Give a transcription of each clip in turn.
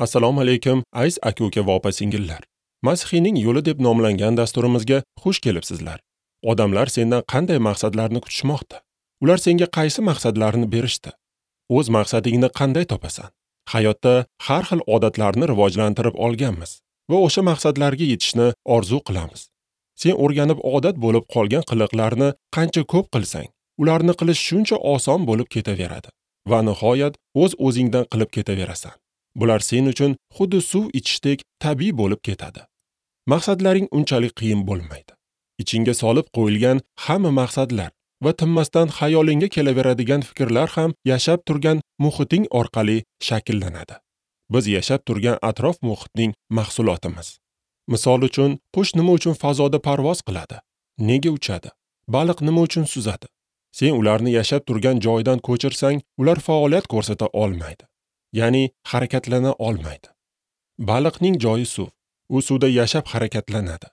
Assalomu alaykum, aziz aka-uka va opa-singillar. Masihiyning yo'li deb nomlangan dasturimizga xush kelibsizlar. Odamlar sendan qanday maqsadlarni kutishmoqda? Ular senga qaysi maqsadlarni berishdi? O'z maqsadingni qanday topasan? Hayotda har xil odatlarni rivojlantirib olganmiz va o'sha maqsadlarga yetishni orzu qilamiz. Sen o'rganib odat bo'lib qolgan qiliqlarni qancha ko'p qilsang, ularni qilish shuncha oson bo'lib ketaveradi va nihoyat o'z-o'zingdan qilib ketaverasan. Bular sen uchun xuddi suv ichishdek tabiiy bo'lib ketadi. Maqsadlaring unchalik qiyin bo'lmaydi. Ichingga solib qo'yilgan hamma maqsadlar va tinmasdan xayolingga kelaveradigan fikrlar ham yashab turgan muhiting orqali shakllanadi. Biz yashab turgan atrof muhitning mahsulotimiz. Misol uchun, qush nima uchun fazoda parvoz qiladi? Nega uchadi? Baliq nima uchun suzadi? Sen ularni yashab turgan joydan ko'chirsang, ular faoliyat ko'rsata olmaydi. Ya'ni harakatlana olmaydi. Baliqning joyi suv. U suvda yashab harakatlanadi.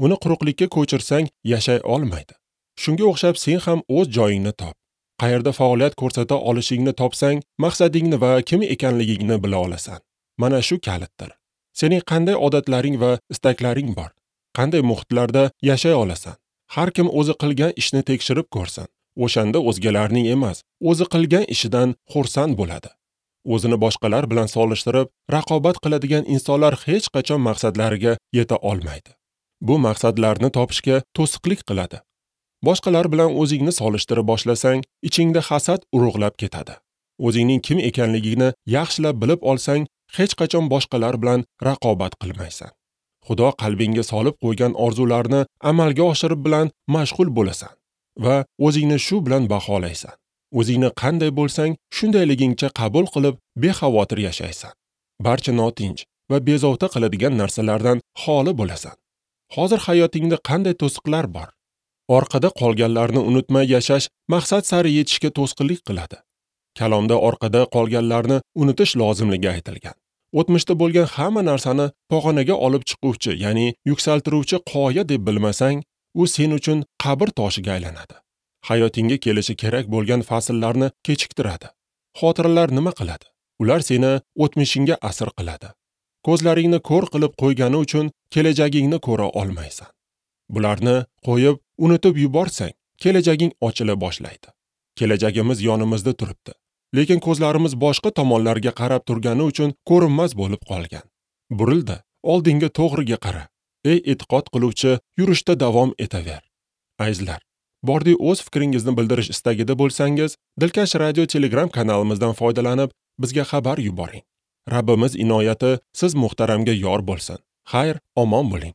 Uni quruqlikka ko'chirsang, yashay olmaydi. Shunga o'xshab sen ham o'z joyingni top. Qayerda faoliyat ko'rsata olishingni topsang, maqsadingni va kim ekanligingni bila olasan. Mana shu kalitdir. Sening qanday odatlaring va istaklaring bor? Qanday muhitlarda yashay olasan? Har kim o'zi qilgan ishni tekshirib ko'rsin. O'shanda o'zgalarning emas, o'zi qilgan ishidan xursand bo'ladi. O'zini boshqalar bilan solishtirib, raqobat qiladigan insonlar hech qachon maqsadlariga yeta olmaydi. Bu maqsadlarni topishga to'siqlik qiladi. Boshqalar bilan o'zingni solishtirib boshlasang, ichingda hasad urug'lab ketadi. O'zingning kim ekanligingni yaxshilab bilib olsang, hech qachon boshqalar bilan raqobat qilmaysan. Xudo qalbingga solib qo'ygan orzularni amalga oshirib bilan mashg'ul bo'lasan va o'zingni shu bilan baholaysan. O'zingni qanday bo'lsang, shundayligingcha qabul qilib, bexavotir yashaysan. Barcha notinch va bezovta qiladigan narsalardan xoli bo'lasan. Hozir hayotingda qanday to'siqlar bor? Orqada qolganlarni unutmay yashash maqsad sari yetishga to'sqinlik qiladi. Kalomda orqada qolganlarni unutish lozimligi aytilgan. O'tmishda bo'lgan hamma narsani pog'onaga olib chiquvchi, ya'ni yuksaltiruvchi qoya deb bilmasang, u sen uchun qabr toshiga aylanadi. Hayotingga kelishi kerak bo'lgan fasllarni kechiktiradi. Xotiralar nima qiladi? Ular seni o'tmishingga asir qiladi. Ko'zlaringni ko'r qilib qo'ygani uchun kelajagingni ko'ra olmaysan. Bularni qo'yib, unutib yuborsang, kelajaging ochila boshlaydi. Kelajagimiz yonimizda turibdi, lekin ko'zlarimiz boshqa tomonlarga qarab turgani uchun ko'rinmas bo'lib qolgan. Burilda, oldinga to'g'riga qara. Ey e'tiqod qiluvchi, yurishda davom etaver. Azizlar, bordi o'z fikringizni bildirish istagida bo'lsangiz, Dilkash radio Telegram kanalimizdan foydalanib, bizga xabar yuboring. Rabbimiz inoyati siz muhtaramga yor bo'lsin. Xayr, omon bo'ling.